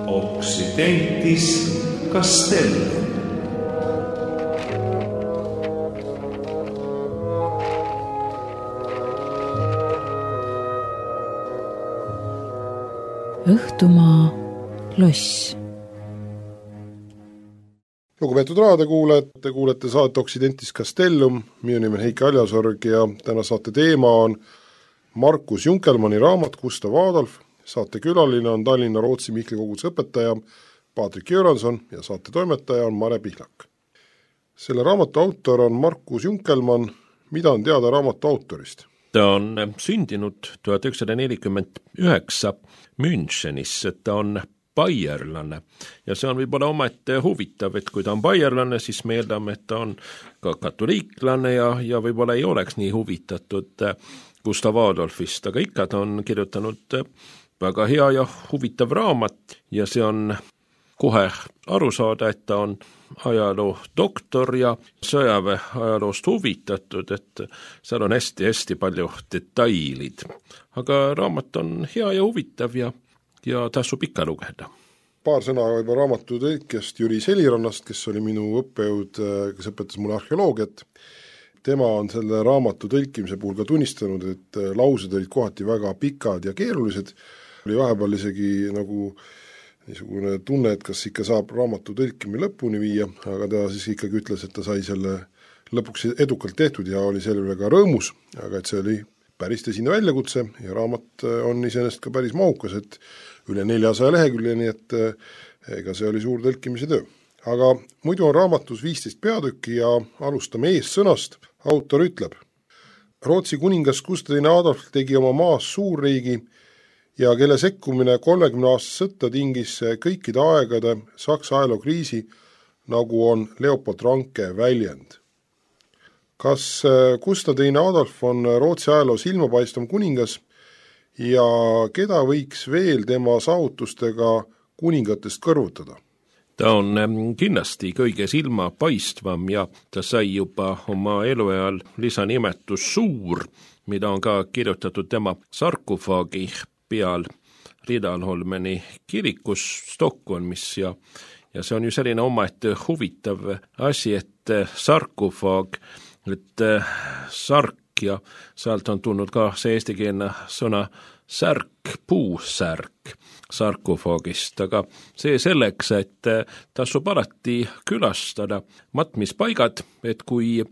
Occidentis Castellum. Õhtumaa loss. Lugupeetud raadiokuulajad, te kuulete saate Occidentis Castellum, minu nimi on Heiki Aljasorg ja täna saate teema on Markus Junkelmanni raamat Gustav Adolf, saate külaline on Tallinna Rootsi Mihkli koguduse õpetaja Patrik Jüranson ja saate toimetaja on Mare Pihlak. Selle raamatu autor on Markus Junkelmann. Mida on teada raamatu autorist? Ta on sündinud 1949 Münchenis, et ta on baierlane ja see on võib-olla omaette huvitav, et kui ta on baierlane, siis me eeldame, et ta on ka katoliiklane ja võib-olla ei oleks nii huvitatud Gustav Adolfist, aga ikka ta on kirjutanud väga hea ja huvitav raamat ja see on kohe aru saada, et ta on ajaloo doktor ja sõjaväe ajaloost huvitatud, et seal on hästi palju detailid. Aga raamat on hea ja huvitav ja tasub ikka lugeda. Paar sõna juba raamatu tõlkjast Jüri Selirannast, kes oli minu õppejõud, kes õpetas mulle arheoloogiat. Tema on selle raamatu tõlkimise puhul ka tunnistanud, et laused olid kohati väga pikad ja keerulised. Oli vahepeal isegi nagu niisugune tunne, et kas ikka saab raamatu tõlkimi lõpuni viia, aga ta siis ikkagi ütles, et ta sai selle lõpuks edukalt tehtud ja oli selle üle ka rõõmus, aga et see oli päris tõsine väljakutse ja raamat on iseenesest ka päris mahukas, et üle 400 lehekülje, nii et ega see oli suur tõlkimise töö. Aga muidu on raamatus 15 peatükki ja alustame eessõnast. Autor ütleb: Rootsi kuningas Gustav II Adolf tegi oma maas suurriigi ja kelle sekkumine 30 aastast sõtta tingis kõikide aegade Saksa ajalookriisi, nagu on Leopold Ranke väljend. Kas Gustav II Adolf on Rootsi ajaloo silmapaistvam kuningas ja keda võiks veel tema saavutustega kuningatest kõrvutada? Ta on kindlasti kõige silmapaistvam ja ta sai juba oma eluajal lisanimetus suur, mida on ka kirjutatud tema sarkofaagi peal Riddarholmeni kirikus Stockholmis ja see on ju selline omaette huvitav asi, et sarkofaag, et sark ja sealt on tulnud ka see eestikeelne sõna särk, puusärk sarkofaagist, aga see selleks, et tasub alati külastada matmispaigad, et kui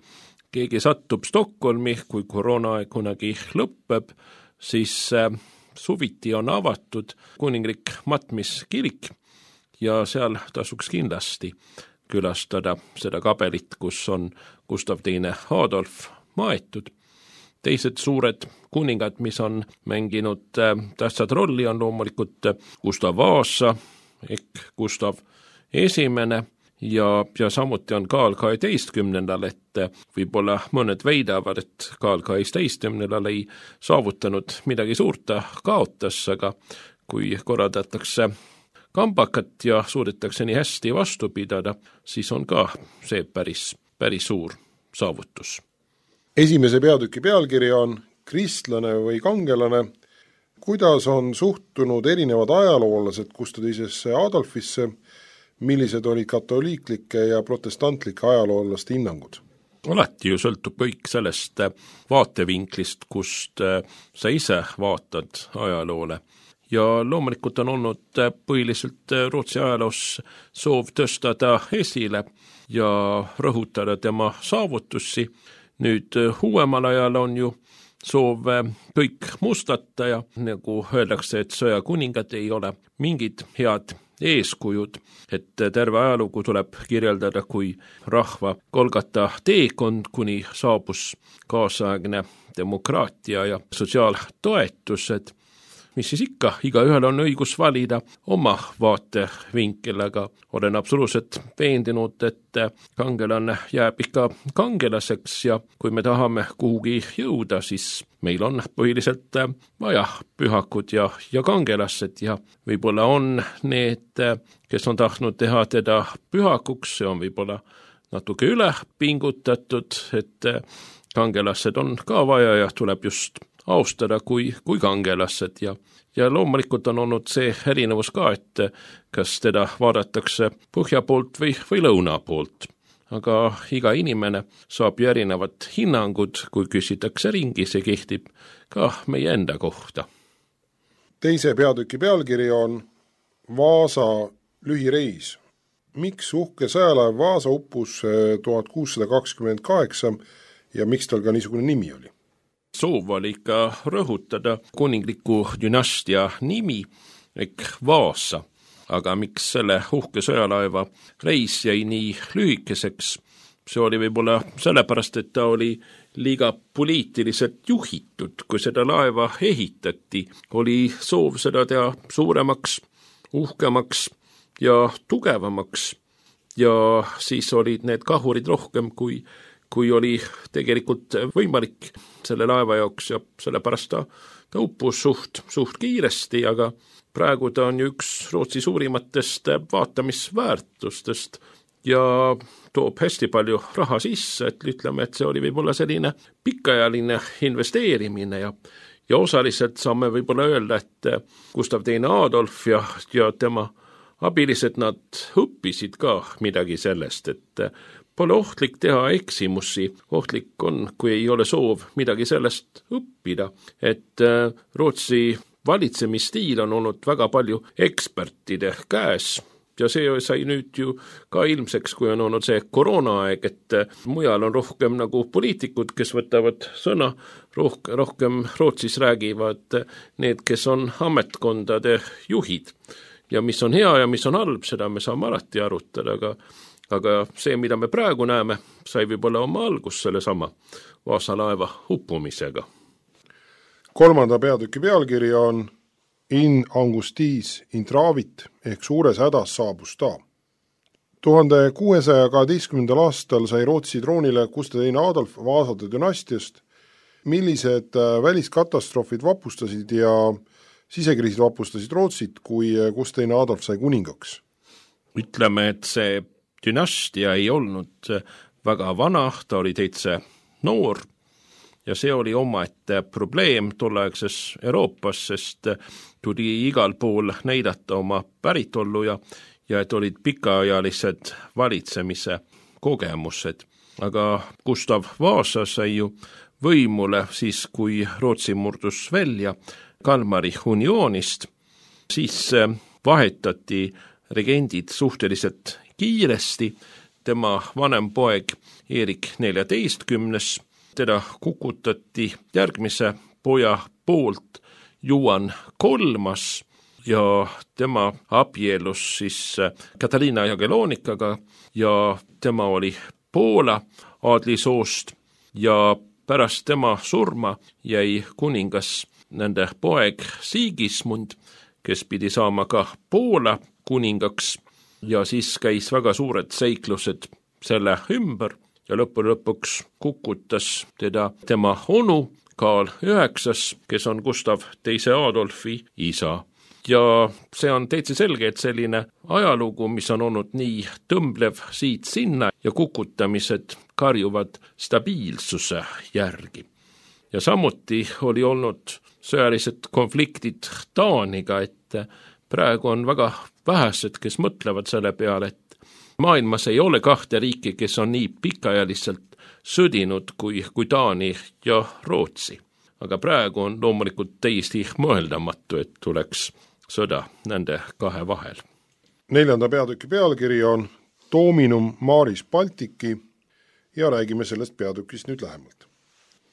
keegi satub Stockholmi, kui koroonaaeg kunagi lõpeb, siis suviti on avatud kuninglik matmiskirik ja seal tasuks kindlasti külastada seda kabelit, kus on Gustav II Adolf maetud. Teised suured kuningad, mis on mänginud tähtsad rolli, on loomulikult Gustav Vasa ehk Gustav I ja samuti on Karl XII, et võib-olla mõned veidavad, et Karl XII ei saavutanud midagi suurt, ta kaotas, aga kui korraldatakse kambakat ja suudetakse nii hästi vastu pidada, siis on ka see päris suur saavutus. Esimese peatüki pealkiri on Kristlane või kangelane. Kuidas on suhtunud erinevad ajaloolased Gustav II Adolfisse? Millised olid katoliiklike ja protestantlike ajaloolaste hinnangud? Alati ju sõltub kõik sellest vaatevinklist, kust sa ise vaatad ajaloole. Ja loomulikult on olnud põhiliselt Rootsi ajaloos soov tõsta ta esile ja rõhutada tema saavutusi. Nüüd uuemal ajal on ju soov kõik mustata ja nagu öeldakse, et sõjakuningad ei ole mingid head eeskujud, et terve ajalugu tuleb kirjeldada kui rahva Golgata teekond, kuni saabus kaasaegne demokraatia ja sotsiaaltoetused, mis siis ikka, igaühel on õigus valida oma vaatevinkel, aga olen absoluutselt veendunud, et kangelane jääb ikka kangelaseks ja kui me tahame kuhugi jõuda, siis meil on põhiliselt vaja pühakud ja kangelased ja võib-olla on need, kes on tahtnud teha teda pühakuks, see on võib-olla natuke üle pingutatud, et kangelased on ka vaja ja tuleb just austada kui kangelased ja loomulikult on olnud see erinevus ka, et kas teda vaadatakse põhja poolt või lõuna poolt. Aga iga inimene saab ju erinevad hinnangud, kui küsitakse ringi, see kehtib ka meie enda kohta. Teise peatüki pealkiri on Vaasa lühireis. Miks uhke sõjalaev Vaasa uppus 1628 ja miks tal ka niisugune nimi oli? Soov oli ikka rõhutada kuningliku dünastia nimi ehk Vaasa. Aga miks selle uhke sõjalaeva reis jäi nii lühikeseks? See oli võib-olla sellepärast, et ta oli liiga poliitiliselt juhitud. Kui seda laeva ehitati, oli soov seda teha suuremaks, uhkemaks ja tugevamaks. Ja siis olid need kahurid rohkem, kui oli tegelikult võimalik selle laeva jaoks ja sellepärast ta uppus suht kiiresti, aga praegu ta on üks Rootsi suurimatest vaatamisväärtustest ja toob hästi palju raha sisse, et ütleme, et see oli võib-olla selline pikaajaline investeerimine ja osaliselt saame võib-olla öelda, et Gustav II Adolf ja tema abilised nad õppisid ka midagi sellest, et pole ohtlik teha eksimusi, ohtlik on, kui ei ole soov midagi sellest õppida, et Rootsi valitsemisstiil on olnud väga palju ekspertide käes ja see sai nüüd ju ka ilmseks, kui on olnud see koroonaaeg, et mujal on rohkem nagu poliitikud, kes võtavad sõna, rohkem Rootsis räägivad need, kes on ametkondade juhid. Ja mis on hea ja mis on halb, seda me saame alati arutada, aga see, mida me praegu näeme, sai võib-olla oma algus sellesama Vaasa laeva uppumisega. Kolmanda peatüki pealkiri on In angustis intravit ehk suures hädas saabus ta. 1612. aastal sai Rootsi troonile Gustav II Adolf Vaasade dünastiast. Millised väliskatastroofid vapustasid ja sisekriisid vapustasid Rootsit, kui Gustav II Adolf sai kuningaks? Ütleme, et see dünastia ei olnud väga vana, ta oli täitsa noor. Ja see oli omaette probleem tolleaegses Euroopas, sest tuli igal pool näidata oma päritollu ja et olid pikaajalised valitsemise kogemused. Aga Gustav Vaasa sai ju võimule siis, kui Rootsi murdus välja Kalmari unioonist, siis vahetati regendid suhteliselt kiiresti. Tema vanem poeg Erik 14. teda kukutati järgmise poja poolt Juhan III ja tema abielus siis Katariina Jagelonikaga ja tema oli Poola aadlisoost ja pärast tema surma jäi kuningas nende poeg Sigismund, kes pidi saama ka Poola kuningaks ja siis käis väga suured seiklused selle ümber. Ja lõpuks kukutas teda tema onu Karl IX, kes on Gustav II Adolfi isa. Ja see on täitsa selge, et selline ajalugu, mis on olnud nii tõmblev siit sinna ja kukutamised karjuvad stabiilsuse järgi. Ja samuti oli olnud sõjalised konfliktid Taaniga, et praegu on väga vähesed, kes mõtlevad selle peale, et maailmas ei ole kahte riiki, kes on nii pikaajaliselt sõdinud kui Taani ja Rootsi. Aga praegu on loomulikult täiesti mõeldamatu, et tuleks sõda nende kahe vahel. Neljanda peatüki pealkiri on Dominum Maris Baltici ja räägime sellest peatükist nüüd lähemalt.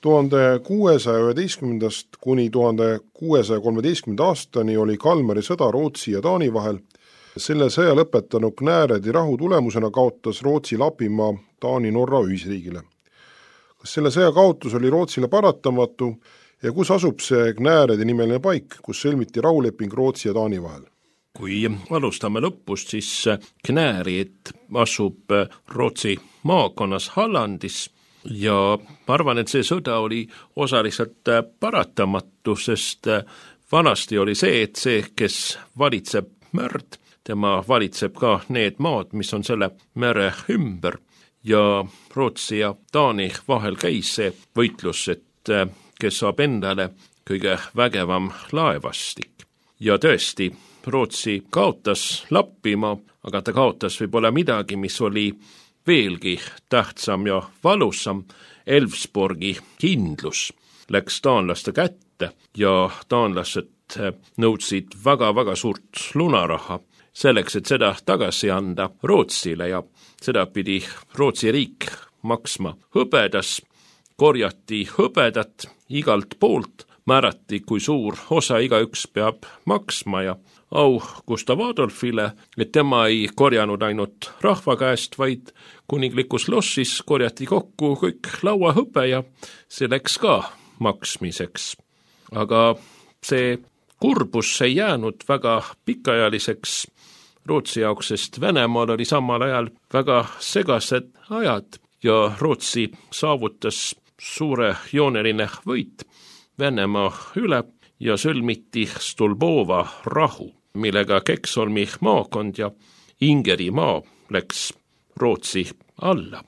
1611. kuni 1613. aastani oli Kalmari sõda Rootsi ja Taani vahel. Selle sõja lõpetanud Knäredi rahu tulemusena kaotas Rootsi Lapimaa Taani-Norra ühisriigile. Kas selle sõja kaotus oli Rootsile paratamatu ja kus asub see Knäredi nimeline paik, kus sõlmiti rahuleping Rootsi ja Taani vahel? Kui alustame lõpust, siis Knärid asub Rootsi maakonnas Hallandis ja ma arvan, et see sõda oli osaliselt paratamatu, sest vanasti oli see, et see, kes valitseb merd, tema valitseb ka need maad, mis on selle mere ümber ja Rootsi ja Taani vahel käis see võitlus, et kes saab endale kõige vägevam laevastik. Ja tõesti, Rootsi kaotas Lappimaa, aga ta kaotas võib-olla midagi, mis oli veelgi tähtsam ja valusam. Elfsborgi kindlus läks taanlaste kätte ja taanlased nõudsid väga-väga suurt lunaraha selleks, et seda tagasi anda Rootsile ja seda pidi Rootsi riik maksma hõbedas, korjati hõbedat igalt poolt, määrati, kui suur osa igaüks peab maksma ja au Gustav Adolfile, et tema ei korjanud ainult rahva käest, vaid kuninglikus lossis korjati kokku kõik lauahõbe ja see läks ka maksmiseks. Aga see kurbus ei jäänud väga pikaajaliseks Rootsi jaoks, sest Venemaal oli samal ajal väga segased ajad ja Rootsi saavutas suure jooneline võit Venemaa üle ja sõlmiti Stulbova rahu, millega Keksholmi maakond ja Ingerimaa läks Rootsi alla.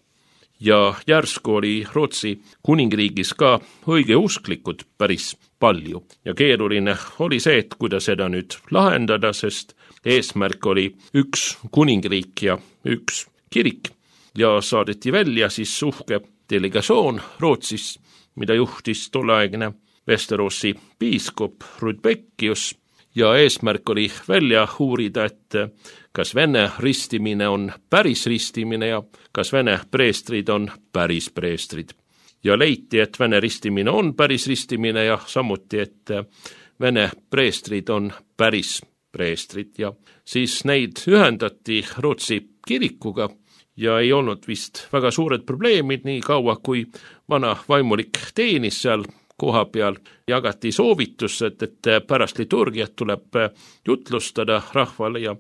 Ja järsku oli Rootsi kuningriigis ka õigeusklikud päris palju ja keeruline oli see, et kuidas seda nüüd lahendada, sest eesmärk oli üks kuningriik ja üks kirik ja saadeti välja siis uhke delegatsioon Rootsis, mida juhtis tolleaegne Westeroosi piiskop Rudbeckius ja eesmärk oli välja uurida, et kas Vene ristimine on päris ristimine ja kas Vene preestrid on päris preestrid. Ja leiti, et Vene ristimine on päris ristimine ja samuti, et Vene preestrid on päris preestrid ja siis neid ühendati Rootsi kirikuga ja ei olnud vist väga suured probleemid nii kaua, kui vana vaimulik teenis seal koha peal, jagati soovitus, et pärast liturgiat tuleb jutlustada rahvale ja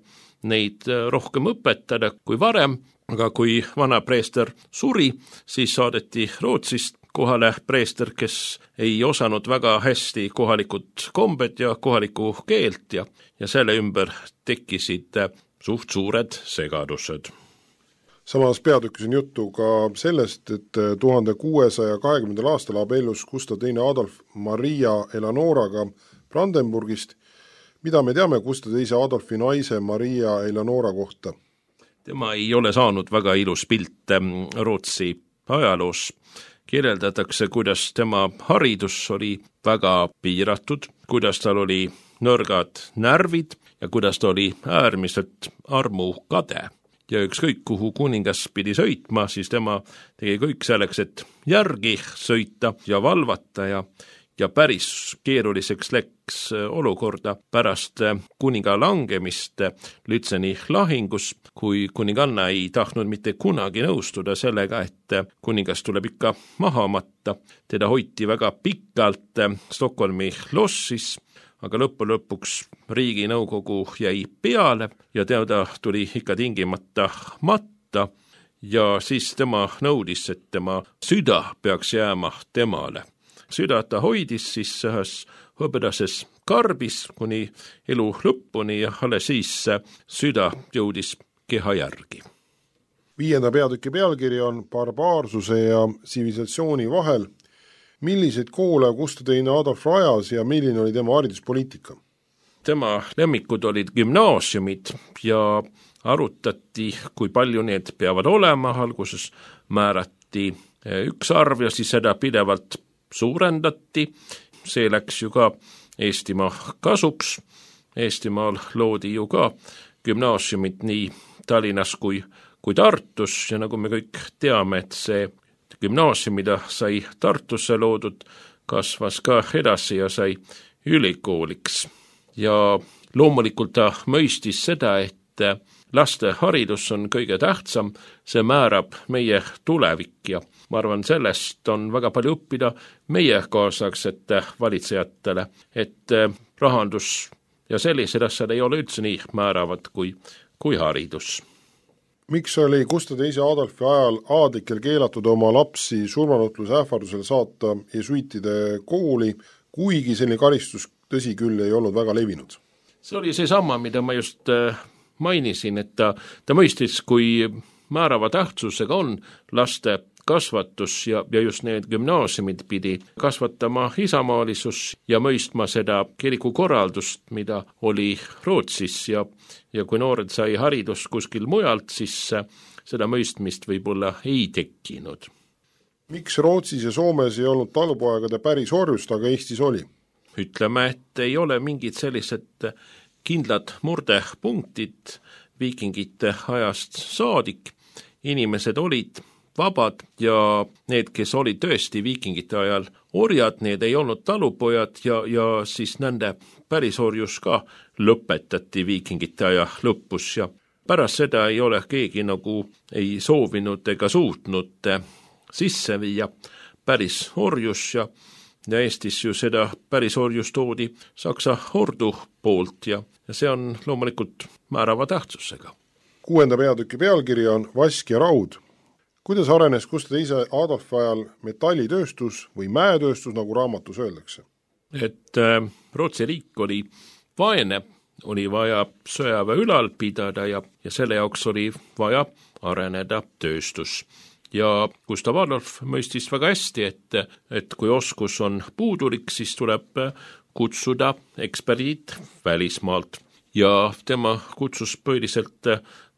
neid rohkem õpetada kui varem, aga kui vana preester suri, siis saadeti Rootsist kohale preester, kes ei osanud väga hästi kohalikud kombed ja kohalikku keelt ja selle ümber tekkisid suht suured segadused. Samas peatükis on juttu ka sellest, et 1620. aastal abiellus Gustav II Adolf Maria Eleonoraga Brandenburgist. Mida me teame Gustav II Adolfi naise Maria Eleonora kohta? Tema ei ole saanud väga ilus pilt Rootsi ajaloos. Kirjeldatakse, kuidas tema haridus oli väga piiratud, kuidas tal oli nõrgad närvid ja kuidas ta oli äärmiselt armukade. Ja ükskõik kuhu kuningas pidi sõitma, siis tema tegi kõik selleks, et järgi sõita ja valvata ja päris keeruliseks läks olukorda pärast kuninga langemist Lützeni lahingus, kui kuninganna ei tahtnud mitte kunagi nõustuda sellega, et kuningas tuleb ikka maha matta. Teda hoiti väga pikalt Stockholmi lossis, aga lõpuks riiginõukogu jäi peale ja teda tuli ikka tingimata matta ja siis tema nõudis, et tema süda peaks jääma temale. Süda ta hoidis siis ühes hõbedases karbis kuni elu lõpuni ja alles siis süda jõudis keha järgi. 5. peatüki pealkiri on barbaarsuse ja tsivilisatsiooni vahel. Milliseid koole Gustav II Adolf rajas ja milline oli tema hariduspoliitika? Tema lemmikud olid gümnaasiumid ja arutati, kui palju need peavad olema. Alguses määrati üks arv ja siis seda pidevalt suurendati. See läks ju ka Eestimaa kasuks. Eestimaal loodi ju ka gümnaasiumid nii Tallinnas kui Tartus ja nagu me kõik teame, et see gümnaasium, mida sai Tartusse loodud, kasvas ka edasi ja sai ülikooliks. Ja loomulikult ta mõistis seda, et laste haridus on kõige tähtsam, see määrab meie tulevik ja ma arvan, sellest on väga palju õppida meie kaasaegsete valitsejatele, et rahandus ja sellised asjad ei ole üldse nii määravad kui haridus. Miks oli Gustav II Adolfi ajal aadlikel keelatud oma lapsi surmanutluse ähvardusel saata jesuitide kooli, kuigi selline karistus tõsi küll ei olnud väga levinud? See oli seesama, mida ma just mainisin, et ta mõistis, kui määrava tähtsusega on laste kasvatus ja just need gümnaasiumid pidi kasvatama isamaalisus ja mõistma seda kirikukorraldust, mida oli Rootsis ja kui noored sai haridust kuskil mujalt, siis seda mõistmist võib-olla ei tekkinud. Miks Rootsis ja Soomes ei olnud talupoegade päris orjust, aga Eestis oli? Ütleme, et ei ole mingid sellised kindlad murdepunktid viikingite ajast saadik. Inimesed olid vabad ja need, kes olid tõesti viikingite ajal orjad, need ei olnud talupojad ja siis nende pärisorjus ka lõpetati viikingite aja lõpus ja pärast seda ei ole keegi nagu ei soovinud ega suutnud sisse viia päris orjus ja Eestis ju seda päris orjus toodi Saksa ordu poolt ja see on loomulikult määrava tähtsusega. 6. peatüki pealkiri on Vask ja raud. Kuidas arenes Gustav II Adolfi ajal metallitööstus või mäetööstus, nagu raamatus öeldakse? Et Rootsi riik oli vaene, oli vaja sõjaväe ülal pidada ja selle jaoks oli vaja areneda tööstus. Ja Gustav Adolf mõistis väga hästi, et kui oskus on puudulik, siis tuleb kutsuda eksperdid välismaalt. Ja tema kutsus põhiliselt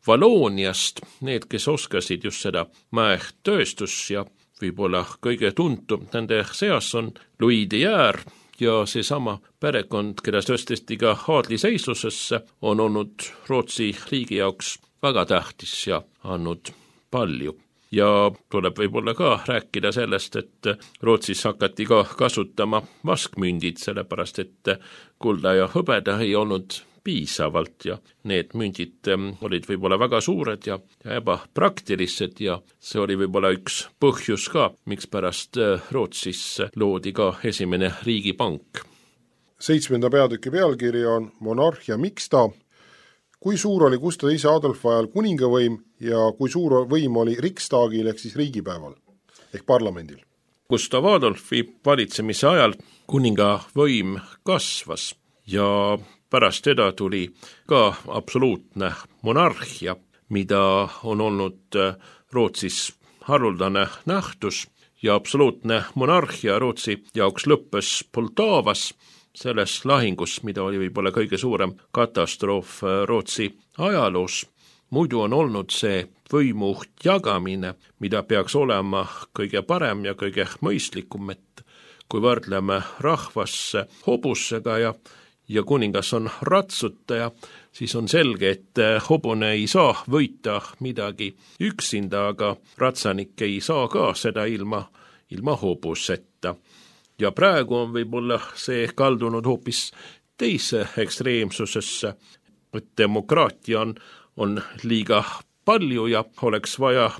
Valooniast need, kes oskasid just seda mäetööstus ja võib-olla kõige tuntum nende seas on Louis de Geer ja seesama perekond, keda tõsteti ka aadliseislusesse, on olnud Rootsi riigi jaoks väga tähtis ja andnud palju. Ja tuleb võib-olla ka rääkida sellest, et Rootsis hakati ka kasutama vaskmündid, sellepärast et kulda ja hõbeda ei olnud piisavalt ja need mündid olid võib-olla väga suured ja ebapraktilised ja see oli võib-olla üks põhjus ka, miks pärast Rootsis loodi ka esimene riigipank. 7. peatüki pealkiri on Monarhia mixta. Kui suur oli Gustav II Adolfi ajal kuningavõim ja kui suur võim oli Riksdagil ehk siis riigipäeval ehk parlamendil? Gustav Adolfi valitsemise ajal kuningavõim kasvas ja pärast teda tuli ka absoluutne monarhia, mida on olnud Rootsis haruldane nähtus ja absoluutne monarhia Rootsi jaoks lõppes Poltavas, selles lahingus, mida oli võib-olla kõige suurem katastroof Rootsi ajaloos. Muidu on olnud see võimu jagamine, mida peaks olema kõige parem ja kõige mõistlikum, et kui võrdleme rahvasse hobusega ja kuningas on ratsutaja, siis on selge, et hobune ei saa võita midagi üksinda, aga ratsanik ei saa ka seda ilma hobuseta. Ja praegu on võib-olla see kaldunud hoopis teise ekstreemsusesse, et demokraatia on liiga palju ja oleks vaja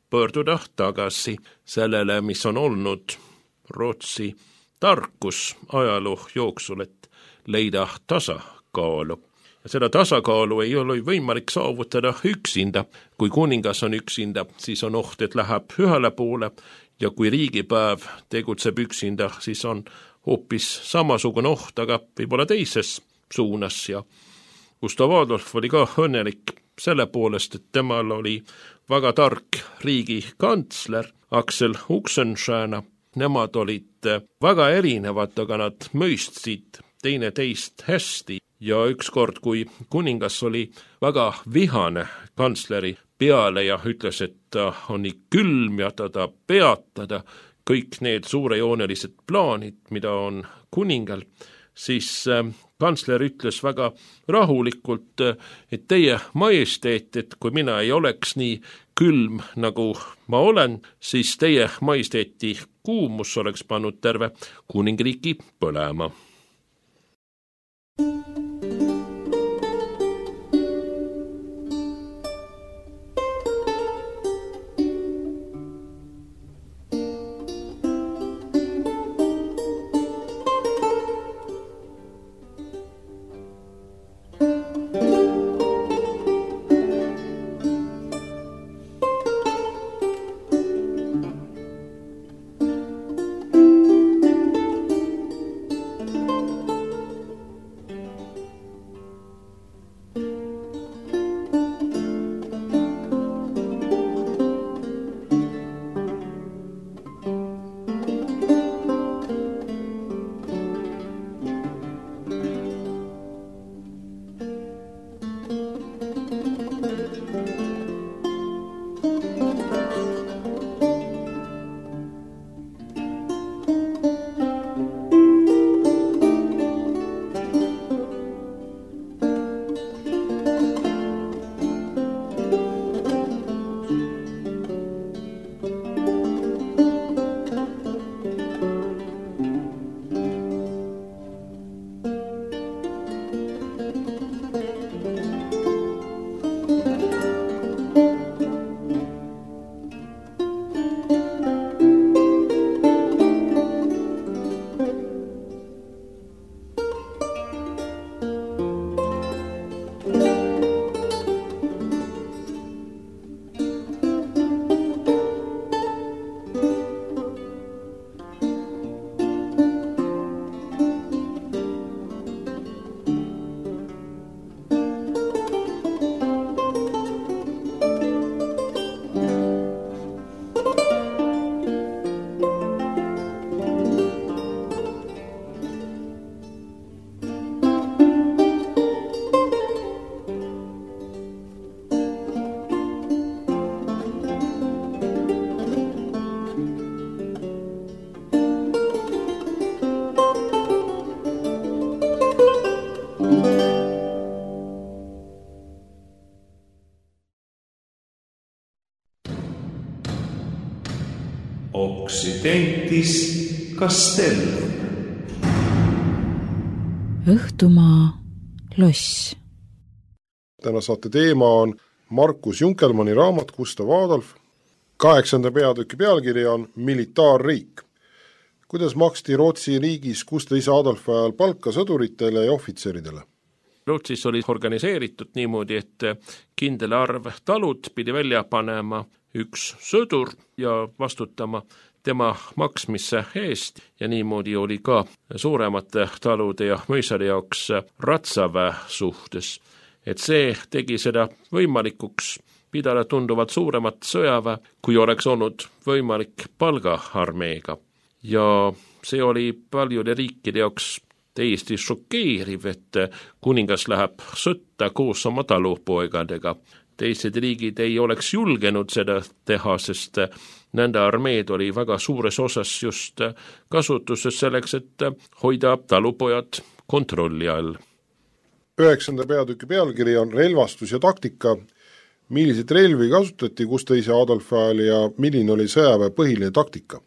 pöörduda tagasi sellele, mis on olnud Rootsi tarkus ajaloo jooksul, et leida tasakaalu. Ja seda tasakaalu ei ole võimalik saavutada üksinda. Kui kuningas on üksinda, siis on oht, et läheb ühele poole ja kui riigipäev tegutseb üksinda, siis on hoopis samasugune oht, aga võib-olla teises suunas ja Gustav Adolf oli ka õnnelik selle poolest, et temal oli väga tark riigikantsler Axel Oxenstierna. Nemad olid väga erinevad, aga nad mõistsid teine teist hästi ja ükskord, kui kuningas oli väga vihane kantsleri peale ja ütles, et ta on nii külm ja ta peatada kõik need suurejoonelised plaanid, mida on kuningal, siis kantsler ütles väga rahulikult, et teie majesteet, et kui mina ei oleks nii külm, nagu ma olen, siis teie majesteeti kuumus oleks pannud terve kuningriigi põlema. Occidentis Castellum. Õhtumaa loss. Täna saate teema on Markus Junkelmanni raamat Gustav Adolf. 8. peatüki pealkiri on Militaarriik. Kuidas maksti Rootsi riigis Gustav Adolfi ajal palka sõduritele ja ohvitseridele? Rootsis oli organiseeritud niimoodi, et kindel arv talud pidi välja panema üks sõdur ja vastutama tema maksmisse eest ja niimoodi oli ka suuremate talude ja mõisade jaoks ratsaväe suhtes. Et see tegi seda võimalikuks pidada tunduvalt suuremat sõjaväe, kui oleks olnud võimalik palgaarmeega. Ja see oli paljude riikide jaoks täiesti šokeeriv, et kuningas läheb sõtta koos oma talupoegadega. Teised riigid ei oleks julgenud seda teha, sest nende armeed oli väga suures osas just kasutuses selleks, et hoida talupojad kontrolli all. 9. peatüki pealkiri on relvastus ja taktika. Milliseid relvi kasutati Gustav Adolfi ajal ja milline oli sõjaväe põhiline taktika?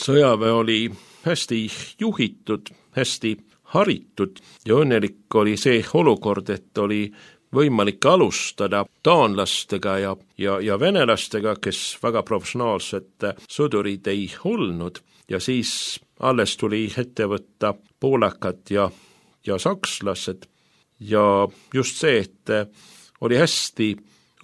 Sõjaväe oli hästi juhitud, hästi haritud ja õnnelik oli see olukord, et oli võimalik alustada taanlastega ja venelastega, kes väga professionaalsed sõdurid ei olnud ja siis alles tuli ette võtta poolakad ja sakslased ja just see, et oli hästi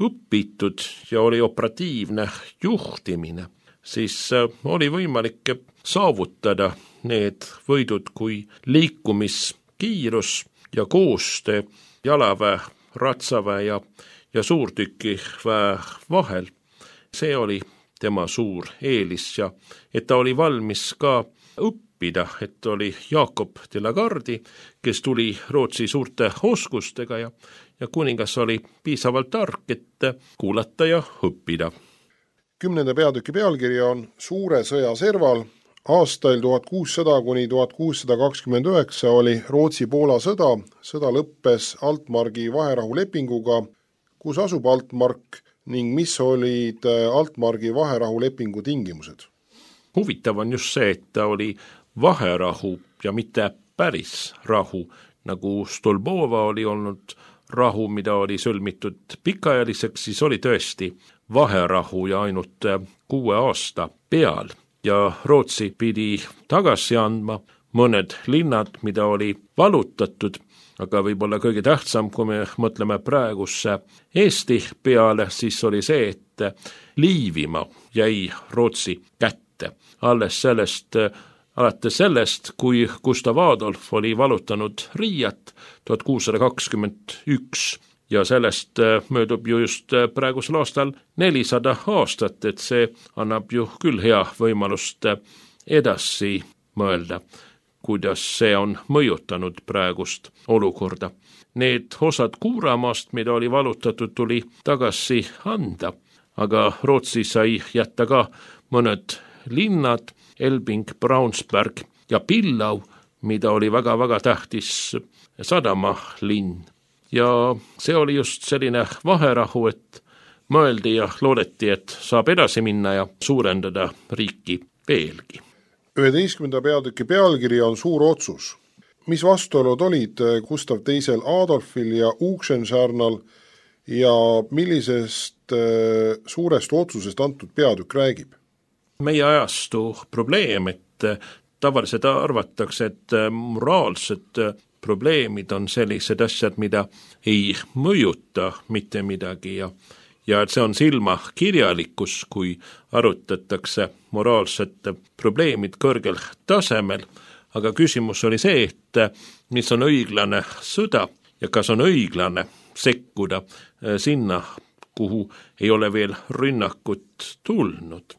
õpitud ja oli operatiivne juhtimine, siis oli võimalik saavutada need võidud kui liikumiskiirus ja koostöö jalaväe, ratsaväe ja suurtükiväe vahel. See oli tema suur eelis ja et ta oli valmis ka õppida, et oli Jakob de la Gardi, kes tuli Rootsi suurte oskustega ja kuningas oli piisavalt tark, et kuulata ja õppida. 10. peatüki pealkiri on Suure sõja serval. Aastail 1600 kuni 1629 oli Rootsi-Poola sõda. Sõda lõppes Altmargi vaherahulepinguga. Kus asub Altmark ning mis olid Altmargi vaherahulepingu tingimused? Huvitav on just see, et ta oli vaherahu ja mitte päris rahu, nagu Stolbova oli olnud rahu, mida oli sõlmitud pikaajaliseks, siis oli tõesti vaherahu ja ainult 6 aasta peal. Ja Rootsi pidi tagasi andma mõned linnad, mida oli valutatud, aga võib-olla kõige tähtsam, kui me mõtleme praegusse Eesti peale, siis oli see, et Liivimaa jäi Rootsi kätte. Alates sellest, kui Gustav Adolf oli valutanud Riiat 1621 ja sellest möödub ju just praegusel aastal 400 aastat, et see annab ju küll hea võimalust edasi mõelda, kuidas see on mõjutanud praegust olukorda. need osad Kuuramaast, mida oli valutatud, tuli tagasi anda. Aga Rootsi sai jätta ka mõned linnad, Elbing, Braunsberg ja Pillau, mida oli väga-väga tähtis sadamalinn. Ja see oli just selline vaherahu, et mõeldi ja loodeti, et saab edasi minna ja suurendada riiki veelgi. 11. peatüki pealkiri on Suur otsus. Mis vastuolud olid Gustav II Adolfil ja Oxenstierna ja millisest suurest otsusest antud peatükk räägib? Meie ajastu probleem, et tavaliselt arvatakse, et moraalsed probleemid on sellised asjad, mida ei mõjuta mitte midagi ja et see on silmakirjalikkus, kui arutatakse moraalsed probleemid kõrgel tasemel, aga küsimus oli see, et mis on õiglane sõda ja kas on õiglane sekkuda sinna, kuhu ei ole veel rünnakut tulnud.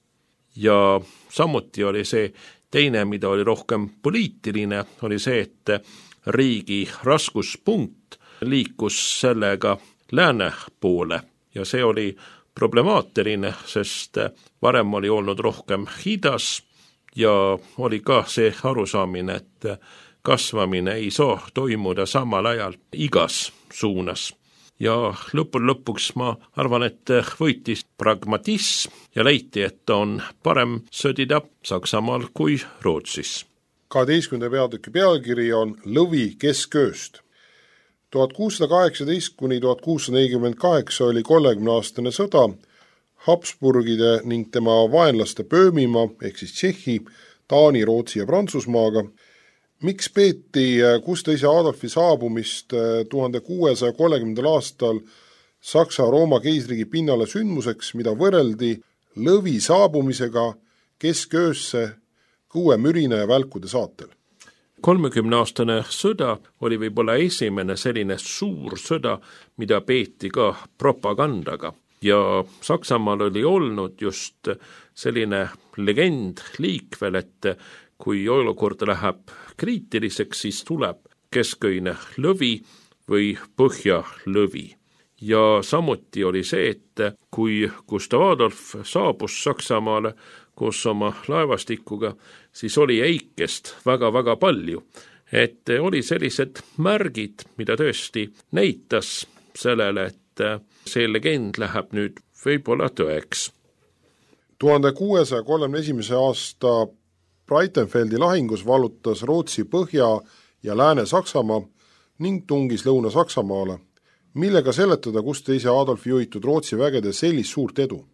Ja samuti oli see teine, mida oli rohkem poliitiline, oli see, et riigi raskuspunkt liikus sellega lääne poole ja see oli problemaatiline, sest varem oli olnud rohkem hidas ja oli ka see arusaamine, et kasvamine ei saa toimuda samal ajal igas suunas. Ja lõpuks ma arvan, et võitis pragmatism ja leiti, et on parem sõdida Saksamaal kui Rootsis. 12. peatüki pealkiri on Lõvi keskööst. 1618 kuni 1648 oli 30-aastane sõda Habsburgide ning tema vaenlaste Böömimaa ehk siis Tšehhi, Taani, Rootsi ja Prantsusmaaga. Miks peeti Gustav II Adolfi saabumist 1630. aastal Saksa-Rooma keisriigi pinnale sündmuseks, mida võrreldi Lõvi saabumisega kesköösse Kõue mürina ja välkude saatel? 30-aastane sõda oli võib-olla esimene selline suur sõda, mida peeti ka propagandaga. Ja Saksamaal oli olnud just selline legend liikvel, et kui olukord läheb kriitiliseks, siis tuleb kesköine lõvi või põhjalõvi. Ja samuti oli see, et kui Gustav Adolf saabus Saksamaale koos oma laevastikuga, siis oli eikest väga-väga palju. Et oli sellised märgid, mida tõesti näitas sellele, et see legend läheb nüüd võib-olla tõeks. 1631. aasta Breitenfeldi lahingus vallutas Rootsi Põhja- ja Lääne-Saksamaa ning tungis Lõuna-Saksamaale, millega seletada Gustav II Adolfi juhitud Rootsi vägede sellist suurt edu?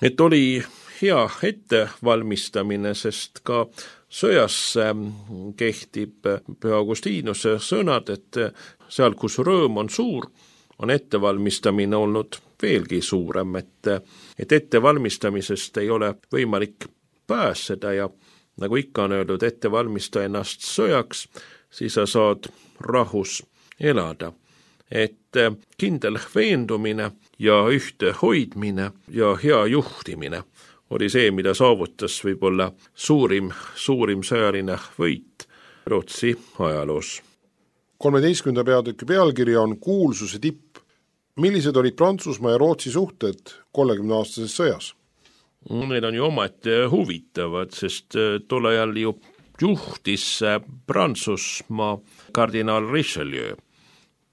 Et oli hea ettevalmistamine, sest ka sõjas kehtib Püha Augustinuse sõnad, et seal, kus rõõm on suur, on ettevalmistamine olnud veelgi suurem, et ettevalmistamisest ei ole võimalik pääseda ja nagu ikka on öeldud, ettevalmista ennast sõjaks, siis sa saad rahus elada. Et kindel veendumine ja ühte hoidmine ja hea juhtimine oli see, mida saavutas võib-olla suurim sõjaline võit Rootsi ajaloos. 13. peatüki pealkiri on Kuulsuse tipp. Millised olid Prantsusmaa ja Rootsi suhted 30-aastases sõjas? Need on ju omaette huvitavad, sest tol ajal ju juhtis Prantsusmaa kardinaal Richelieu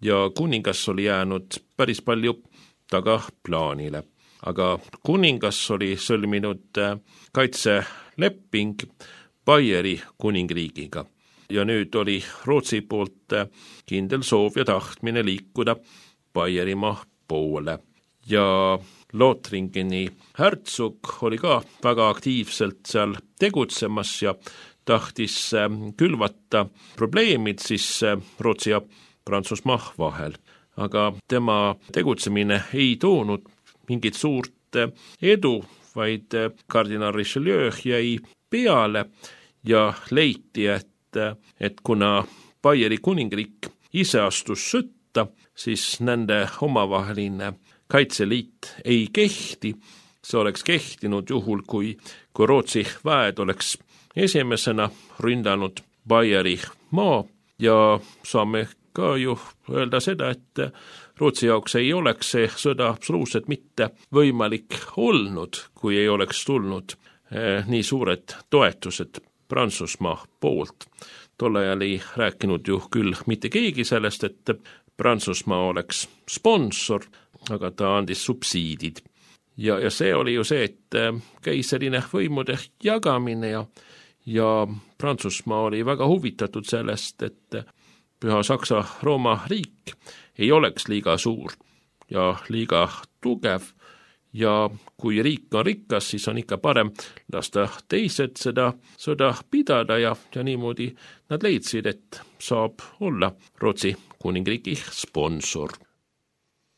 ja kuningas oli jäänud päris palju tagaplaanile. Aga kuningas oli sõlminud kaitseleping Baieri kuningriigiga ja nüüd oli Rootsi poolt kindel soov ja tahtmine liikuda Baierimaa poole. Ja Lothringeni hertsog oli ka väga aktiivselt seal tegutsemas ja tahtis külvata probleemid siis Rootsi ja Prantsusmaa vahel. Aga tema tegutsemine ei toonud mingit suurt edu, vaid kardinaal Richelieu jäi peale ja leiti, et kuna Baieri kuningriik ise astus sõtta, siis nende omavaheline kaitseliit ei kehti. See oleks kehtinud juhul, kui Rootsi väed oleks esimesena ründanud Baieri maa ja saame ka ju öelda seda, et Rootsi jaoks ei oleks see sõda absoluutselt mitte võimalik olnud, kui ei oleks tulnud nii suured toetused Prantsusmaa poolt. Tolle ajal ei rääkinud ju küll mitte keegi sellest, et Prantsusmaa oleks sponsor, aga ta andis subsiidid. Ja see oli ju see, et keiserine võimude jagamine ja Prantsusmaa oli väga huvitatud sellest, et Püha Saksa-Rooma riik ei oleks liiga suur ja liiga tugev ja kui riik on rikas, siis on ikka parem lasta teised seda sõda pidada ja niimoodi nad leidsid, et saab olla Rootsi kuningriigi sponsor.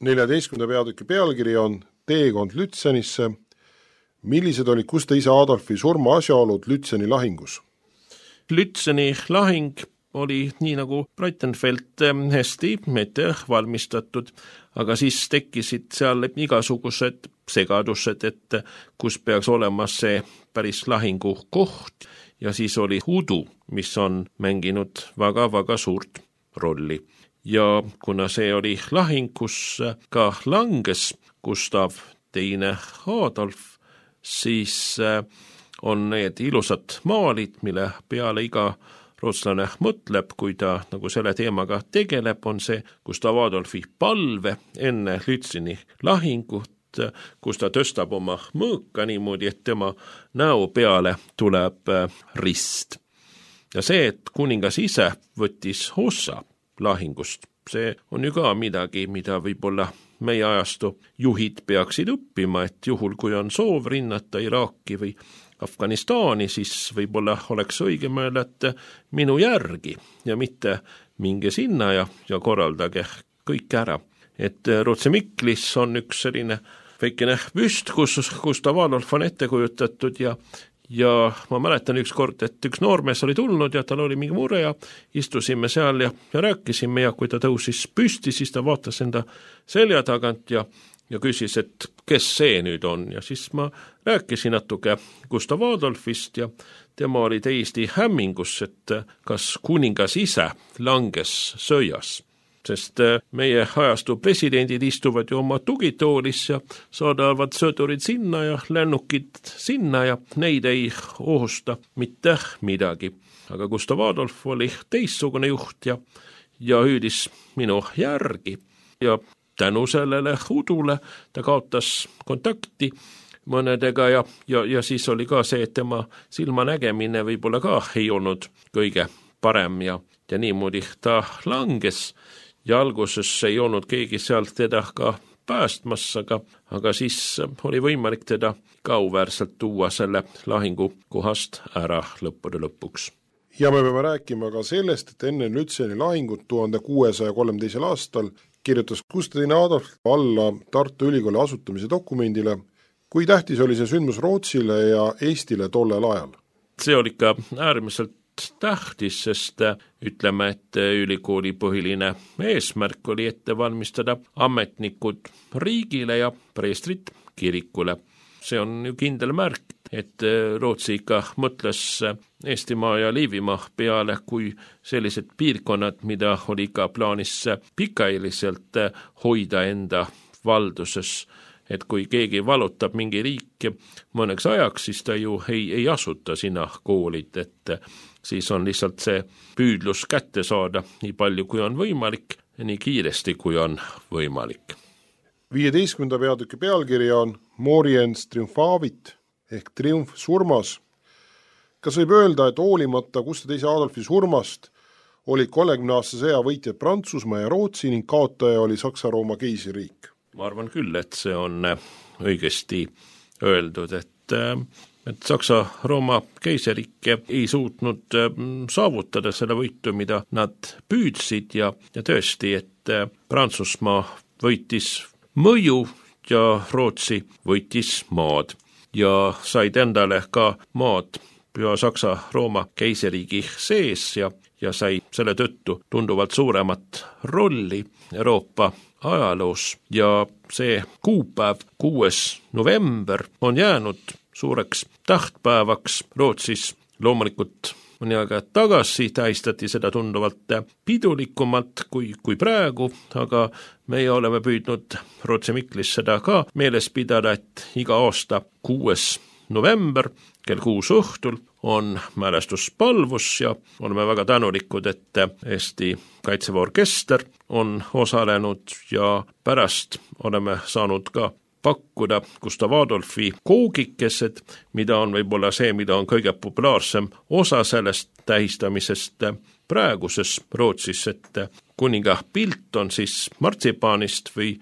14. peatüki pealkiri on Teekond Lütsenisse. Millised olid Gustav isa Adolfi surma asjaolud Lütseni lahingus? Lütseni lahing oli nii nagu Breitenfeld hästi ette valmistatud, aga siis tekkisid seal igasugused segadused, et kus peaks olema see päris lahingu koht ja siis oli udu, mis on mänginud väga-väga suurt rolli. Ja kuna see oli lahing, kus ka langes Gustav II Adolf, siis on need ilusad maalid, mille peale iga rootslane mõtleb, kui ta nagu selle teemaga tegeleb, on see Gustav Adolfi palve enne Lütseni lahingut, kus ta tõstab oma mõõka niimoodi, et tema näo peale tuleb rist. Ja see, et kuningas ise võttis osa lahingust, see on ju ka midagi, mida võib-olla meie ajastu juhid peaksid õppima, et juhul, kui on soov rinnata Iraaki või Afganistani, siis võib-olla oleks õige mõelda, et minu järgi ja mitte minge sinna ja korraldage kõik ära. Et Rootsi Miklis on üks selline väikene püst, kus Gustav Adolf on ette kujutatud ja ma mäletan üks kord, et üks noormees oli tulnud ja tal oli mingi mure ja istusime seal ja rääkisime ja kui ta tõusis püsti, siis ta vaatas enda selja tagant ja küsis, et kes see nüüd on ja siis ma rääkisin natuke Gustav Adolfist ja tema oli täiesti hämmingus, et kas kuningas ise langes sõjas. Sest meie ajastu presidendid istuvad ju oma tugitoolis ja saadavad sõdurid sinna ja lennukid sinna ja neid ei ohusta mitte midagi. Aga Gustav Adolf oli teistsugune juht ja hüüdis minu järgi ja tänu sellele udule ta kaotas kontakti mõnedega ja siis oli ka see, et tema silmanägemine võib-olla ka ei olnud kõige parem ja niimoodi ta langes. Ja alguses ei olnud keegi sealt teda ka päästmas, aga siis oli võimalik teda ka auväärselt tuua selle lahingu kohast ära lõppude lõpuks. Ja me peame rääkima ka sellest, et enne Lütseni lahingut 1613. aastal kirjutas Gustav II Adolf alla Tartu Ülikooli asutamise dokumendile. Kui tähtis oli see sündmus Rootsile ja Eestile tollel ajal? See oli ka äärmiselt tähtis, sest ütleme, et ülikooli põhiline eesmärk oli ette valmistada ametnikud riigile ja preestrid kirikule. See on ju kindel märk, et Rootsi ikka mõtles Eestimaa ja Liivimaa peale kui sellised piirkonnad, mida oli ka plaanis pikaajaliselt hoida enda valduses. Et kui keegi valutab mingi riik mõneks ajaks, siis ta ju ei asuta sinna koolid, et siis on lihtsalt see püüdlus kätte saada nii palju, kui on võimalik, nii kiiresti, kui on võimalik. 15. peatüki pealkiri on Moriens triumfavit ehk triumf surmas. Kas võib öelda, et hoolimata Gustav II Adolfi surmast olid 30-aastase sõja võitjad Prantsusmaa ja Rootsi ning kaotaja oli Saksa-Rooma keisririik? Ma arvan küll, et see on õigesti öeldud, et Saksa-Rooma keisriik ei suutnud saavutada selle võitu, mida nad püüdsid ja tõesti, et Prantsusmaa võitis mõju ja Rootsi võitis maad ja said endale ka maad Püha Saksa-Rooma keisriigi sees ja sai selle tõttu tunduvalt suuremat rolli Euroopa ajaloos ja see kuupäev 6. november on jäänud suureks tahtpäevaks Rootsis. Loomulikult mõni aega tagasi tähistati seda tunduvalt pidulikumalt kui praegu, aga meie oleme püüdnud Rootsi Miklis seda ka meeles pidada, et iga aasta 6. november kell 6 õhtul on mälestuspalvus ja oleme väga tänulikud, et Eesti Kaitseväe orkester on osalenud ja pärast oleme saanud ka pakkuda Gustav Adolfi koogikesed, mida on võib-olla see, mida on kõige populaarsem osa sellest tähistamisest praeguses Rootsis, et kuninga pilt on siis martsipaanist või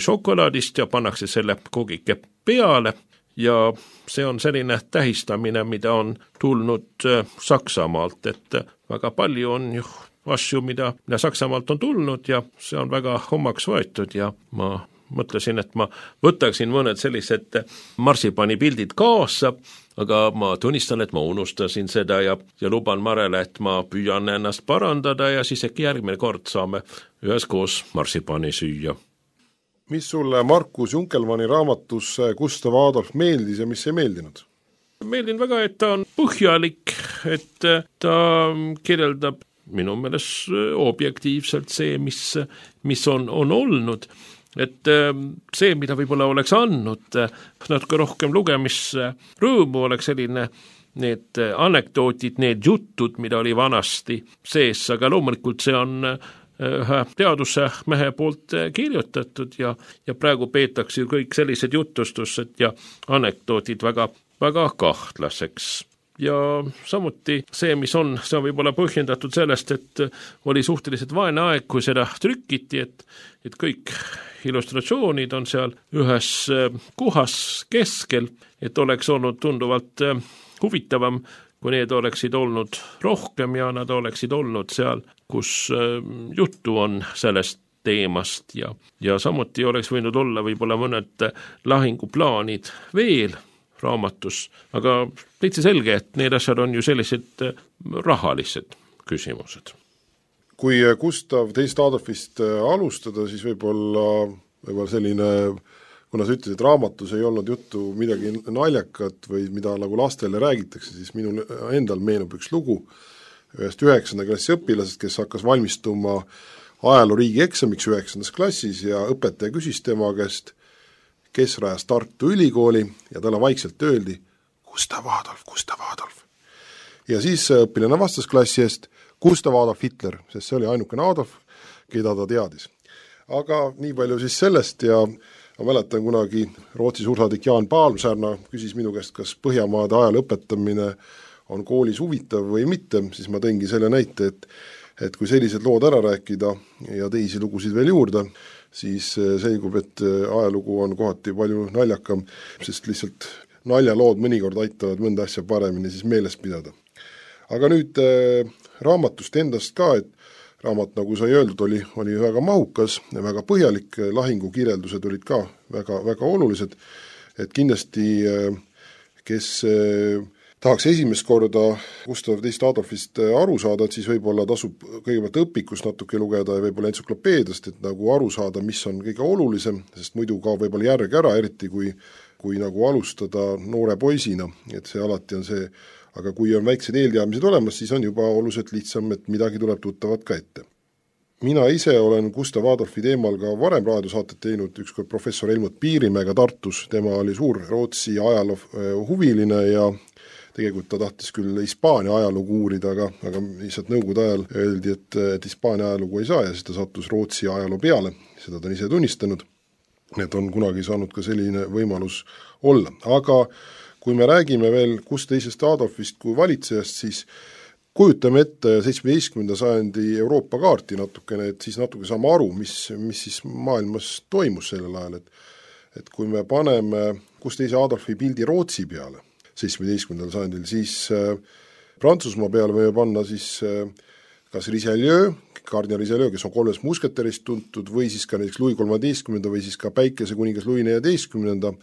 šokolaadist ja pannakse selle koogike peale ja see on selline tähistamine, mida on tulnud Saksamaalt, et väga palju on ju asju, mida Saksamaalt on tulnud ja see on väga omaks võetud ja ma mõtlesin, et ma võtaksin mõned sellised marsipanipildid kaasa, aga ma tunnistan, et ma unustasin seda ja luban Marele, et ma püüan ennast parandada ja siis äkki järgmine kord saame üheskoos marsipani süüa. Mis sulle Markus Junkelmanni raamatus Gustav Adolf meeldis ja mis ei meeldinud? Meeldin väga, et ta on põhjalik, et ta kirjeldab minu meelest objektiivselt see, mis on olnud, et see, mida võib-olla oleks andnud natuke rohkem lugemisrõõmu, oleks selline need anekdootid, need jutud, mida oli vanasti sees, aga loomulikult see on ühe teaduse mehe poolt kirjutatud ja praegu peetakse ju kõik sellised jutustused ja anekdootid väga, väga kahtlaseks. Ja samuti see, mis on, see on võib-olla põhjendatud sellest, et oli suhteliselt vaene aeg, kui seda trükiti, et kõik illustratsioonid on seal ühes kohas keskel, et oleks olnud tunduvalt huvitavam, kui need oleksid olnud rohkem ja nad oleksid olnud seal, kus juttu on sellest teemast ja samuti oleks võinud olla võib-olla mõned lahinguplaanid veel raamatus, aga täitsa selge, et need asjad on ju sellised rahalised küsimused. Kui Gustav teist Adolfist alustada, siis võib-olla selline, kuna sa ütlesid, et raamatus ei olnud juttu midagi naljakat või mida nagu lastele räägitakse, siis minul endal meenub üks lugu ühest 9. klassi õpilasest, kes hakkas valmistuma ajaloo riigieksamiks 9. klassis ja õpetaja küsis tema käest, kes rajas Tartu Ülikooli ja talle vaikselt öeldi Gustav Adolf, Gustav Adolf. Ja siis õpilane vastas klassi eest Gustav Adolf Hitler, sest see oli ainukene Adolf, keda ta teadis. Aga nii palju siis sellest ja ma mäletan kunagi Rootsi suursaadik Jaan Paalmsärna küsis minu käest, kas Põhjamaade ajaloo õpetamine on koolis huvitav või mitte, siis ma tõingi selle näite, et kui sellised lood ära rääkida ja teisi lugusid veel juurde, siis selgub, et ajalugu on kohati palju naljakam, sest lihtsalt naljalood mõnikord aitavad mõnda asja paremini siis meeles pidada. Aga nüüd raamatust endast ka, et raamat, nagu sai öeldud, oli väga mahukas ja väga põhjalik, lahingukirjeldused olid ka väga, väga olulised, et kindlasti kes tahaks esimest korda Gustav II Adolfist aru saada, et siis võib-olla tasub kõigepealt õpikust natuke lugeda ja võib-olla entsüklopeediast, et nagu aru saada, mis on kõige olulisem, sest muidu ka võib-olla järg ära, eriti kui nagu alustada noore poisina, et see alati on see, aga kui on väiksed eelteadmised olemas, siis on juba oluliselt lihtsam, et midagi tuleb tuttavat ka ette. Mina ise olen Gustav Adolfi teemal ka varem raadiosaatet teinud, ükskord professor Helmut Piirimäega Tartus, tema oli suur Rootsi ajaloo huviline ja tegelikult ta tahtis küll Hispaania ajalugu uurida, aga lihtsalt nõukogude ajal öeldi, et Hispaania ajalugu ei saa ja siis ta sattus Rootsi ajaloo peale, seda ta on ise tunnistanud, et on kunagi saanud ka selline võimalus olla. Aga kui me räägime veel Gustav II Adolfist kui valitsejast, siis kujutame ette 17. sajandi Euroopa kaarti natukene, et siis natuke saame aru, mis siis maailmas toimus sellel ajal, et kui me paneme Gustav II Adolfi pildi Rootsi peale 17. sajandil, siis Prantsusmaa peale võime panna siis kas Richelieu, kardinal Richelieu, kes on 3 musketerist tuntud, või siis ka näiteks Louis XIII või siis ka päikesekuningas Louis XIV.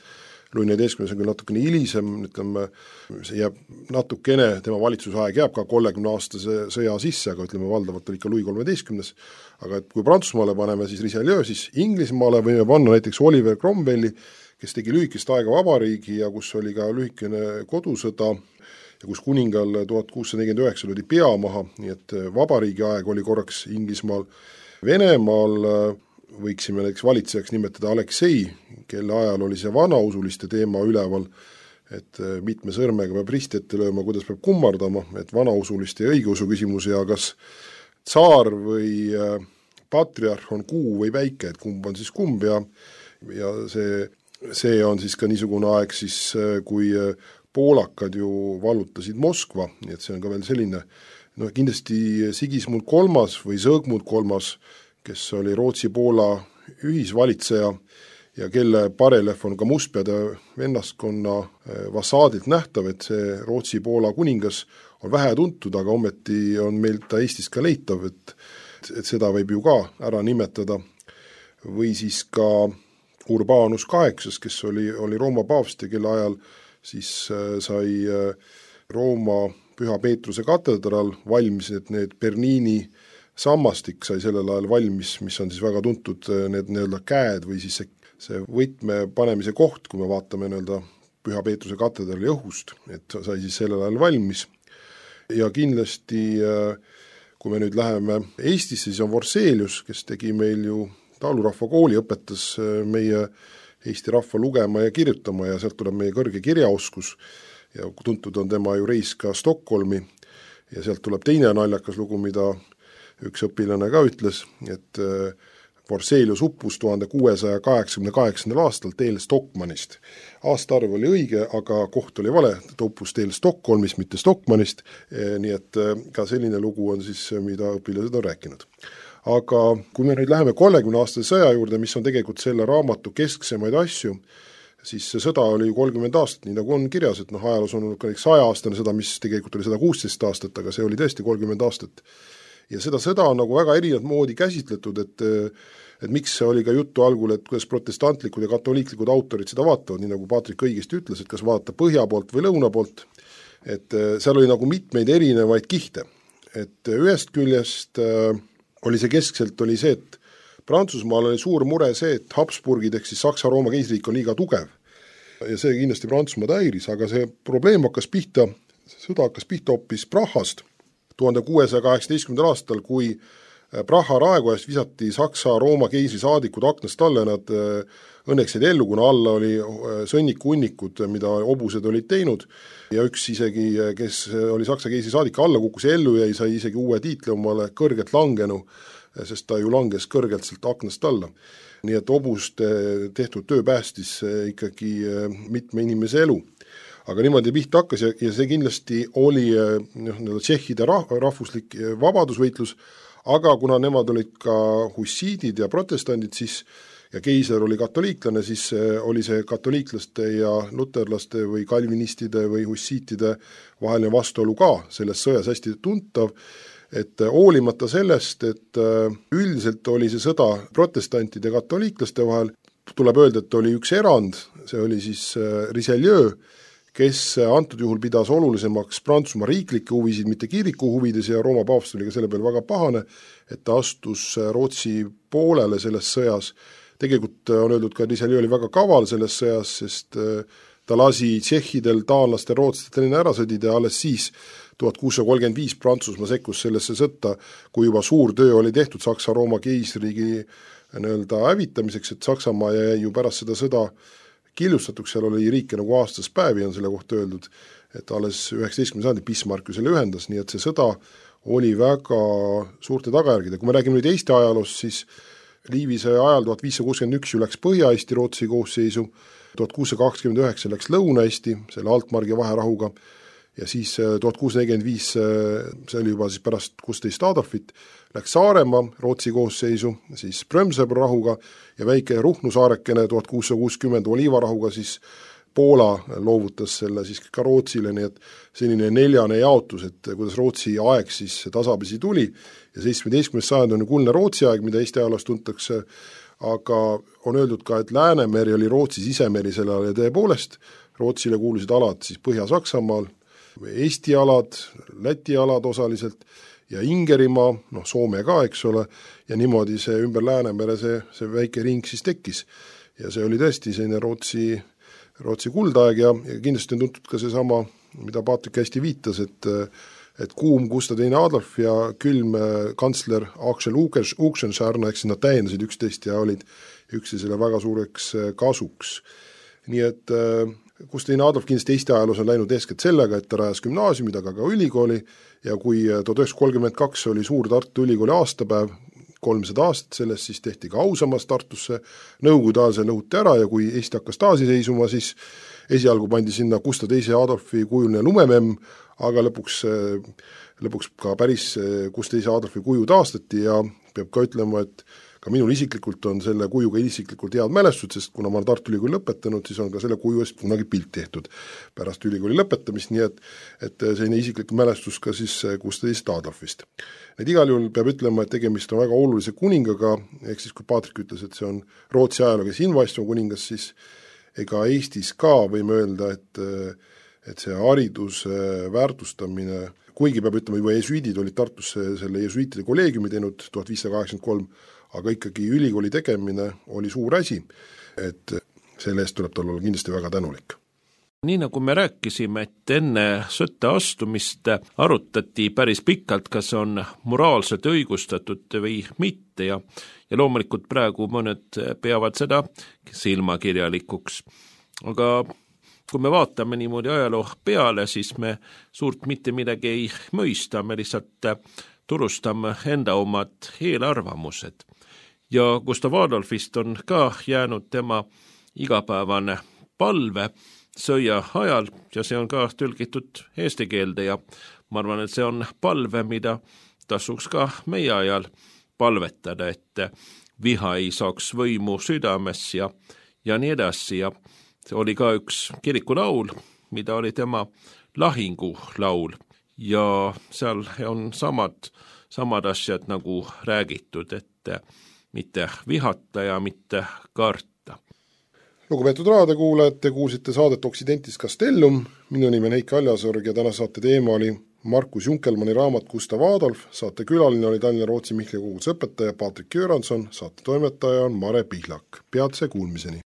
Louis XIV on küll natukene hilisem, ütleme, see jääb natukene, tema valitsusaeg jääb ka 30-aastase sõja sisse, aga ütleme, valdavalt oli ikka Louis XIII. Aga et kui Prantsusmaale paneme siis Richelieu, siis Inglismaale võime panna näiteks Oliver Cromwelli, kes tegi lühikest aega vabariigi ja kus oli ka lühikene kodusõda ja kus kuningal 1649 oli pea maha, nii et vabariigi aeg oli korraks Inglismaal. Venemaal võiksime näiteks valitsejaks nimetada Aleksei, kelle ajal oli see vanausuliste teema üleval, et mitme sõrmega peab risti ette lööma, kuidas peab kummardama, et vanausuliste ja õigeusu küsimus ja kas tsaar või patriarh on kuu või väike, et kumb on siis kumb ja see on siis ka niisugune aeg siis, kui poolakad ju vallutasid Moskva, nii et see on ka veel selline, kindlasti Sigismund III või Sõõgmund III, kes oli Rootsi-Poola ühisvalitseja ja kelle bareljeef on ka Mustpeade vennaskonna fassaadilt nähtav, et see Rootsi-Poola kuningas on vähe tuntud, aga ometi on meil ta Eestis ka leitav, et seda võib ju ka ära nimetada. Või siis ka Urbanus VIII, kes oli Rooma paavst ja kelle ajal siis sai Rooma Püha Peetruse katedraal valmis, et need Bernini sammastik sai sellel ajal valmis, mis on siis väga tuntud need nii-öelda käed või siis see võtme panemise koht, kui me vaatame nii-öelda Püha Peetruse katedraali õhust, et sai siis sellel ajal valmis. Ja kindlasti, kui me nüüd läheme Eestisse, siis on Forselius, kes tegi meil ju Taalurahva kooli, õpetas meie Eesti rahva lugema ja kirjutama ja sealt tuleb meie kõrge kirjaoskus ja tuntud on tema ju reis ka Stockholmi ja sealt tuleb teine naljakas lugu, mida üks õpilane ka ütles, et Forselius uppus 1688. aastal teel Stockmannist. Aastaarv oli õige, aga koht oli vale, ta uppus teel Stockholmist, mitte Stockmannist, nii et ka selline lugu on siis, mida õpilased on rääkinud. Aga kui me nüüd läheme 30-aastase sõja juurde, mis on tegelikult selle raamatu kesksemaid asju, siis see sõda oli 30 aastat, nii nagu on kirjas, et ajaloos on olnud ka 100-aastane sõda, mis tegelikult oli 116 aastat, aga see oli tõesti 30 aastat. Ja seda sõda on nagu väga erinevat moodi käsitletud, et miks see oli ka juttu algul, et kuidas protestantlikud ja katoliiklikud autorid seda vaatavad, nii nagu Patrik õigesti ütles, et kas vaadata põhja poolt või lõuna poolt, et seal oli nagu mitmeid erinevaid kihte. Et ühest küljest oli see keskselt oli see, et Prantsusmaal oli suur mure see, et Habsburgid ehk siis Saksa-Rooma keisriik on liiga tugev ja see kindlasti Prantsusmaad häiris, aga see probleem hakkas pihta, sõda hakkas pihta hoopis Prahast 1618. aastal, kui Praha raekojas visati Saksa-Rooma keisri saadikud aknast alla ja nad õnneks jäid ellu, kuna alla oli sõnnikunnikud, mida hobused olid teinud ja üks isegi, kes oli Saksa keisri saadik, alla kukkus ja ellu jäi, sai isegi uue tiitli omale kõrgelt langenu, sest ta ju langes kõrgelt sealt aknast alla. Nii et hobuste tehtud töö päästis ikkagi mitme inimese elu. Aga niimoodi pihta hakkas ja see kindlasti oli tšehhide rahvuslik vabadusvõitlus, aga kuna nemad olid ka hussiidid ja protestandid, siis ja keiser oli katoliiklane, siis oli see katoliiklaste ja luterlaste või kalvinistide või hussiitide vaheline vastuolu ka selles sõjas hästi tuntav, et hoolimata sellest, et üldiselt oli see sõda protestantide ja katoliiklaste vahel, tuleb öelda, et oli üks erand, see oli siis Richelieu, kes antud juhul pidas olulisemaks Prantsusmaa riiklikke huvisid, mitte kiriku huvides ja Rooma paavst oli ka selle peale väga pahane, et ta astus Rootsi poolele selles sõjas. Tegelikult on öeldud ka, et Richelieu oli väga kaval selles sõjas, sest ta lasi tšehhidel, taanlastel, rootslastel ära sõdida ja alles siis 1635 Prantsusmaa sekkus sellesse sõtta, kui juba suur töö oli tehtud Saksa-Rooma keisriigi hävitamiseks, et Saksamaa jäi ju pärast seda sõda killustatuks, seal oli riike nagu aastas päevi on selle kohta öeldud, et alles 19. sajandi Bismarck ju selle ühendas, nii et see sõda oli väga suurte tagajärgide. Kui me räägime nüüd Eesti ajaloos, siis Liivise ajal 1561 ju läks Põhja-Eesti Rootsi koosseisu, 1629 läks Lõuna-Eesti selle Altmargi vaherahuga ja siis 1645, see oli juba siis pärast 16 Adolfit, läks Saaremaa Rootsi koosseisu, siis Prömsebro rahuga ja väike Ruhnu saarekene 1660 Oliivarahuga siis Poola loovutas selle siis ka Rootsile, nii et selline neljane jaotus, et kuidas Rootsi aeg siis tasapisi tuli ja 17. sajand on kuldne Rootsi aeg, mida Eesti ajaloos tuntakse, aga on öeldud ka, et Läänemeri oli Rootsi sisemeri selle ajal ja tõepoolest Rootsile kuulusid alad siis Põhja-Saksamaal, Eesti alad, Läti alad osaliselt ja Ingerimaa, Soome ka, eks ole, ja niimoodi see ümber Läänemere see väike ring siis tekkis. Ja see oli tõesti selline Rootsi kuldaeg ja kindlasti on tuntud ka seesama mida Paatrik hästi viitas, et kuum Gustav II Adolf ja külm kantsler Axel Oxenstierna, ehk siis nad täiendasid üksteist ja olid üksteisele väga suureks kasuks. Nii et Gustav II Adolf kindlasti Eesti ajaloos on läinud eeskätt sellega, et ta rajas gümnaasiumid, aga ka ülikooli ja kui 1932 oli suur Tartu Ülikooli aastapäev, 300 aastat sellest, siis tehti ka ausammas Tartusse, Nõukogude ajal see lõhuti ära ja kui Eesti hakkas taasiseisuma, siis esialgu pandi sinna Gustav II Adolfi kujuline lumememm, aga lõpuks ka päris Gustav II Adolfi kuju taastati ja peab ka ütlema, et ka minul isiklikult on selle kujuga isiklikult head mälestused, sest kuna ma olen Tartu Ülikooli lõpetanud, siis on ka selle kuju eest kunagi pilt tehtud pärast ülikooli lõpetamist, nii et selline isiklik mälestus ka siis Gustav II Adolfist. Need igal juhul peab ütlema, et tegemist on väga olulise kuningaga, ehk siis kui Paatrik ütles, et see on Rootsi ajaloo kes invaistuv kuningas, siis ega Eestis ka võime öelda, et see hariduse väärtustamine, kuigi peab ütlema, juba jesuidid olid Tartusse selle jesuitide kolleegiumi teinud 1583, aga ikkagi ülikooli tegemine oli suur asi, et selle eest tuleb tal olla kindlasti väga tänulik. Nii nagu me rääkisime, et enne sõtta astumist arutati päris pikalt, kas on moraalselt õigustatud või mitte ja loomulikult praegu mõned peavad seda silmakirjalikuks. Aga kui me vaatame niimoodi ajaloo peale, siis me suurt mitte midagi ei mõista, me lihtsalt turustame enda omad eelarvamused. Ja Gustav Adolfist on ka jäänud tema igapäevane palve sõja ajal ja see on ka tõlgitud eesti keelde ja ma arvan, et see on palve, mida tasuks ka meie ajal palvetada, et viha ei saaks võimu südames ja nii edasi ja see oli ka üks kirikulaul, mida oli tema lahingulaul ja seal on samad asjad nagu räägitud, et mitte vihata ja mitte karta. Lugupeetud raadiokuulajad, te kuulsite saadet Occidentis Castellum, minu nimi on Heiki Aljasorg ja täna saate teema oli Markus Junkelmanni raamat Gustav Adolf, saate külaline oli Tallinna Rootsi Mihkli koguduse õpetaja Paatrik Göransson, saate toimetaja on Mare Pihlak. Peatse kuulmiseni!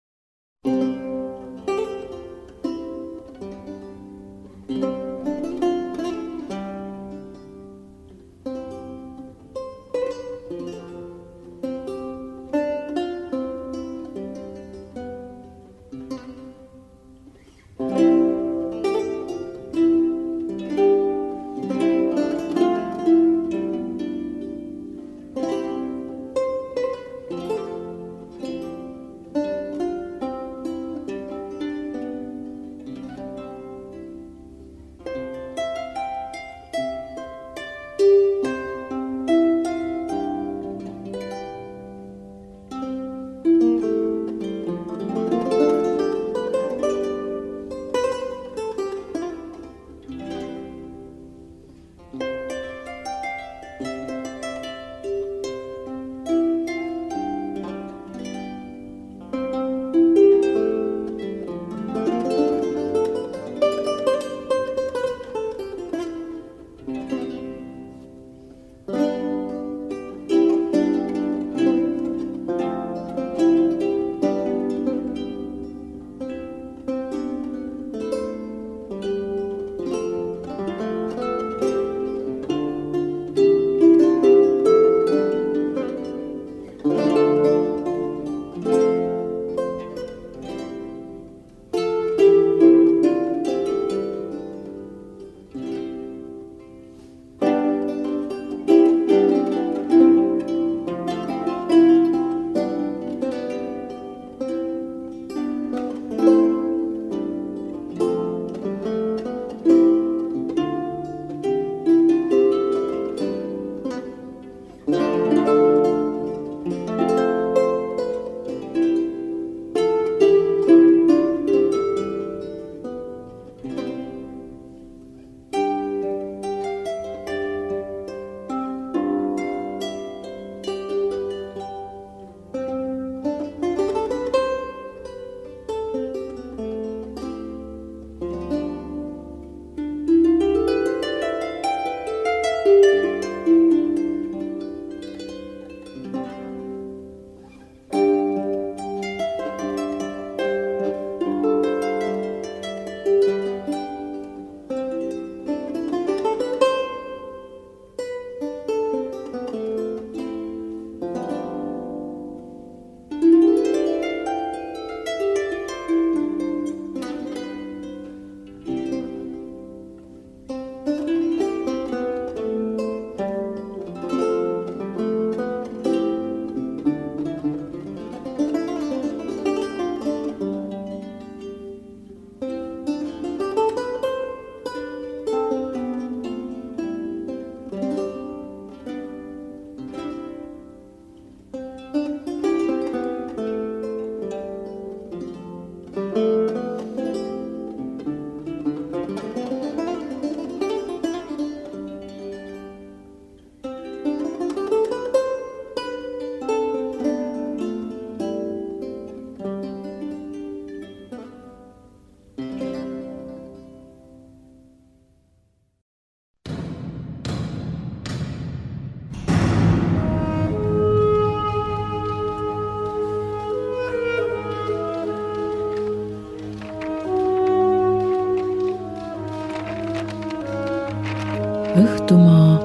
Õhtumaa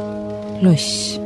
loss.